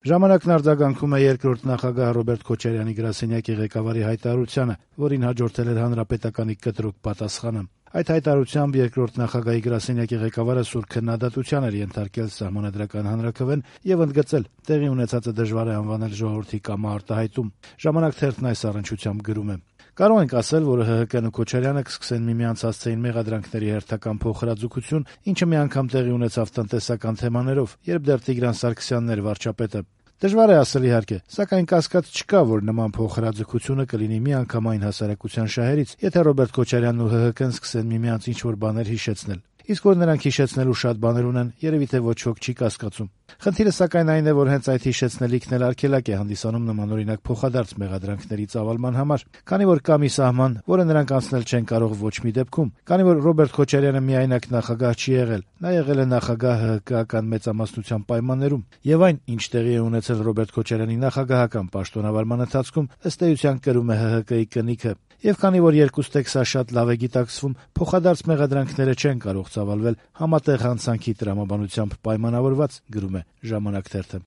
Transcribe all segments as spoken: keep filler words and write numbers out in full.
Ժամանակն արձագանքում է երկրորդ նախագահ Ռոբերտ Քոչարյանի գրասենյակի ղեկավարի հայտարարությանը, որին հաջորդել էր Հանրապետականի կտրուկ պատասխանը։ Այդ հայտարարությամբ երկրորդ նախագահի գրասենյակի ղեկավարը սուր քննադատության էր ենթարկել Սահմանադրական հանրաքվեն եւ ընդգծել տեղի ունեցածը դժվար է անվանել ժողովրդի կամա-արտահայտում։ Ժամանակ թերթն այս առնչությամբ գրում է. «Կարող ենք ասել, որ ՀՀԿ-ն ու Քոչարյանը կսկսեն միմյանց հասցեին մեղադրանքների հերթական փոխհրաձգություն, ինչը մի անգամ տեղի ունեցավ տնտեսական թեմաներով, երբ դեռ Տիգրան Սարգսյանն էր վարչապետը։ Դժվար է ասել իհարկե, սակայն կասկած չկա, որ նման փոխհրաձգությունը կլինի միանգամայն հասարակության շահերից, եթե Ռոբերտ Քոչարյանն ու ՀՀԿ-ն սկսեն միմյանց ինչ-որ բաներ հիշեցնել։ Իսկ որ նրանք հիշեցնելու շատ բաներ ունեն, երևի թե ոչ ոք չի կասկածում։ Խնդիրը սակայն այն է, որ հենց այդ հիշեցնելիքն էլ արգելակ է հանդիսանում նմանօրինակ փոխադարձ մեղադրանքների ծավալման համար, քանի որ կա մի սահման, որը նրանք անցնել չեն կարող ոչ մի դեպքում, քանի որ Ռոբերտ Քոչարյանը միայնակ նախագահ չի եղել, նա եղել է նախագահ ՀՀԿ-ական մեծամասնության պայմաններում, եւ այն, ինչ տեղի է ունեցել Ռոբերտ Քոչարյանի նախագահական պաշտոնավարման ընթացքում, ըստ էության կրում է ՀՀԿ-ի կնիքը։ Եվ քանի որ երկուստ եք սա շատ լավ է գիտակցվում, փոխադարձ մեղադրանքները չեն կարող ծավալվել համատեղ հանցանքի տրամաբանությամբ պայմանավորված, գրում է «Ժամանակ» թերթը»։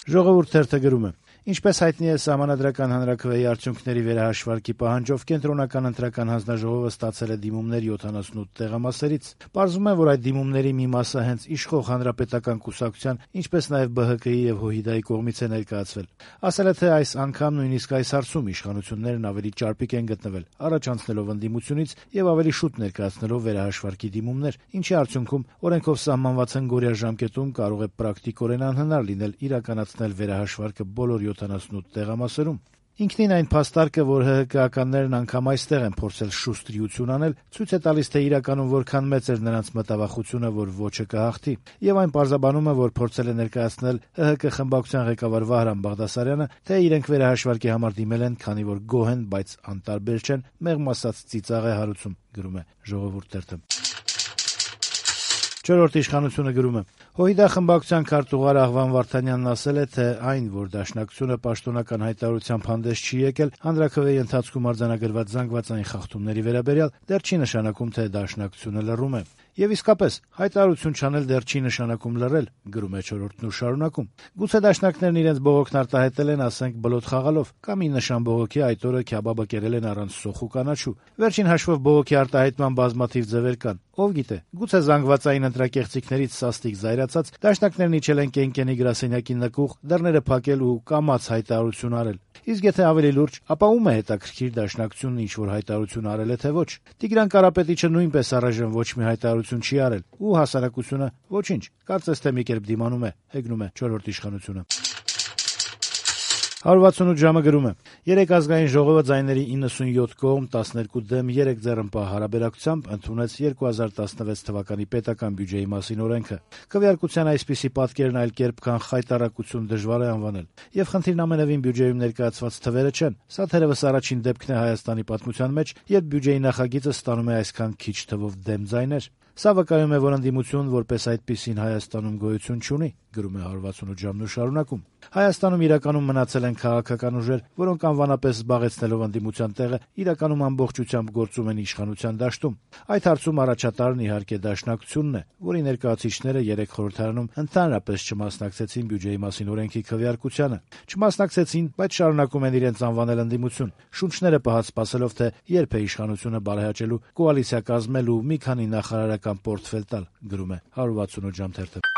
«Ժողովուրդ» թերթը գրում է. «Ինչպես հայտնի է, Սահմանադրական հանրաքվեի արդյունքների վերահաշվարկի պահանջով կենտրոնական ընտրական հանձնաժողովը ստացել է դիմումներ յոթանասունութ տեղամասերից։ Պարզվում է, որ այդ դիմումների մի մասը հենց իշխող հանրապետական կուսակցության, ինչպես նաև ԲՀԿ-ի եւ ՀՅԴ-ի կողմից է ներկայացվել։ Ասել է, թե այս անգամ նույնիսկ այս հարցում իշխանություններն ավելի ճարպիկ են գտնվել, առաջ անցնելով ընդդիմությունից եւ ավելի շուտ ներկայացնելով վերահաշվարկի դիմումներ, ինչի արդյունքում օրենքով սահմանված հնգօրյա ժամկետում կարող է պրակտիկորեն անհնար լինել իրականացնել վերահաշվարկը բոլոր յոթանասունութ տեղամասերում։ Ինքնին այն փաստարկը, որ ՀՀԿ-ականներն անգամ այստեղ են փորձել շուստրիություն անել, ցույց է տալիս, թե իրականում որքան մեծ էր նրանց մտավախությունը, որ ոչը կհաղթի, եւ այն պարզաբանում է, որ փորձել է ներկայացնել ՀՀԿ խմբակցության ղեկավար Վահրամ Բաղդասարյանը, թե իրենք վերահաշվարկի համար դիմել են, քանի որ գոհ են, բայց անտարբեր չեն, մեղմ ասած ծիծաղ է հարուցում, գրում է «Ժողովուրդ» թերթը»։ «Չորրորդ իշխանությունը» գրում է. «ՀՅԴ խմբակցության քարտուղար Աղվան Վարդանյանն ասել է, թե այն, որ Դաշնակցությունը պաշտոնական հայտարարությամբ հանդես չի եկել հանրաքվեի ընթացքում արձանագրված զանգվածային խախտումների վերաբերյալ, դեռ չի նշանակում, թե Դաշնակցությունը լռում է։ Եվ իսկապես, հայտարարություն չանել դեռ չի նշանակում լռել, գրում է «Չորրորդն» ու շարունակում. գուցե դաշնակներն իրենց բողոքն արտահայտել են, ասենք, բլոթ խաղալով, կամ ի նշան բողոքի այդ օրը քյաբաբը կերել են առանց սոխ ու կանաչու։ Վերջին հաշվով բողոքի արտահայտման բազմաթիվ ձևեր կան։ Ով գիտե, գուցե զանգվածային ընտրակեղծիքներից սաստիկ զայրացած դաշնակներն իջել են Կենկենի գրասենյակի նկուղ, դռները փակել ու կամաց հայտարարություն արել։ Իսկ եթե ավելի լուրջ, ապա ում է հետաքրքիր Դաշնակցությունն ինչ-որ հայտարարություն արել է, թե ոչ։ Տիգրան Կարապետիչը նույնպես առայժմ ոչ մի հայտարարություն չի արել, ու հասարակությունը ոչինչ, կարծես թե մի կերպ դիմանում է, հեգնում է «Չորրորդ իշխանությունը»։ «հարյուր վաթսունութ ժամը» գրում է. «Երեկ ազգային ժողովը ձայների իննսունյոթ կողմ, տասներկու դեմ երեք ձեռնպահ հարաբերակցությամբ ընդունեց երկու հազար տասնվեց թվականի պետական բյուջեի մասին օրենքը։ Քվեարկության այսպիսի պատկերն այլ կերպ, քան խայտառակություն դժվար է անվանել։ Եվ խնդիրն ամենևին բյուջեում ներկայացված թվերը չեն։ Սա թերևս առաջին դեպքն է Հայաստանի պատմության մեջ, երբ բյուջեի նախագիծը ստանում է այսքան քիչ թվով դեմ ձայներ։ Սա վկայում է, որ ընդդիմություն որպես այդպիսին Հայաստանում գոյություն չունի», գրում է «հարյուր վաթսունութ ժամն» ու շարունակում. «Հայաստանում իրականում մնացել են քաղաքական ուժեր, որոնք անվանապես զբաղեցնելով ընդդիմության տեղը, իրականում ամբողջությամբ գործում են իշխանության դաշտում։ Այդ հարցում առաջատարն իհարկե Դաշնակցությունն է, որի ներկայացուցիչները երեք խորհրդարանում ընդհանրապես չմասնակցեցին բյուջեի մասին օրենքի քվեարկությանը։ Չմասնակցեցին, բայց շարունակում են իրենց անվանել ընդդիմություն, շունչները պահած սպասելով, թե երբ է իշխանությունը բարեհաճելու, կոալիցիա կազմել ու մի քանի նախարարական պորտֆել տալ», գրում է «հարյուր վաթսունութ ժամ» թերթը»։